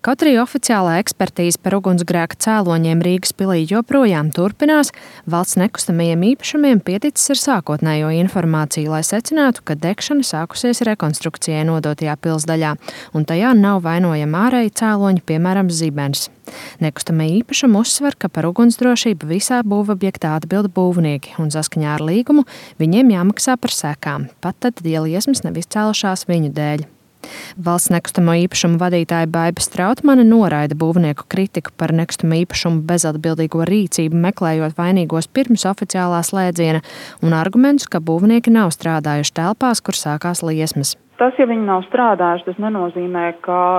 Kaut arī oficiālā ekspertīze par ugunsgrēka cēloņiem Rīgas pilī joprojām turpinās, valsts nekustamajiem īpašumiem pieticis ar sākotnējo informāciju, lai secinātu, ka degšana sākusies rekonstrukcijai nodotajā pilsdaļā, un tajā nav vainojami ārēji cēloņi, piemēram, zibens. Nekustamie īpašumi uzsver, ka par ugunsdrošību visā būvobjektā atbild būvnieki, un saskaņā ar līgumu viņiem jāmaksā par sekām, pat tad, ja liesmas nav izcēlušās viņu dēļ. Valsts nekustamo īpašumu vadītāja Baiba Strautmane noraida būvnieku kritiku par nekustamo īpašumu bezatbildīgo rīcību, meklējot vainīgos pirms oficiālā slēdziena, un argumentus, ka būvnieki nav strādājuši telpās, kur sākās liesmas. Tas, ja viņi nav strādājuši, tas nenozīmē, ka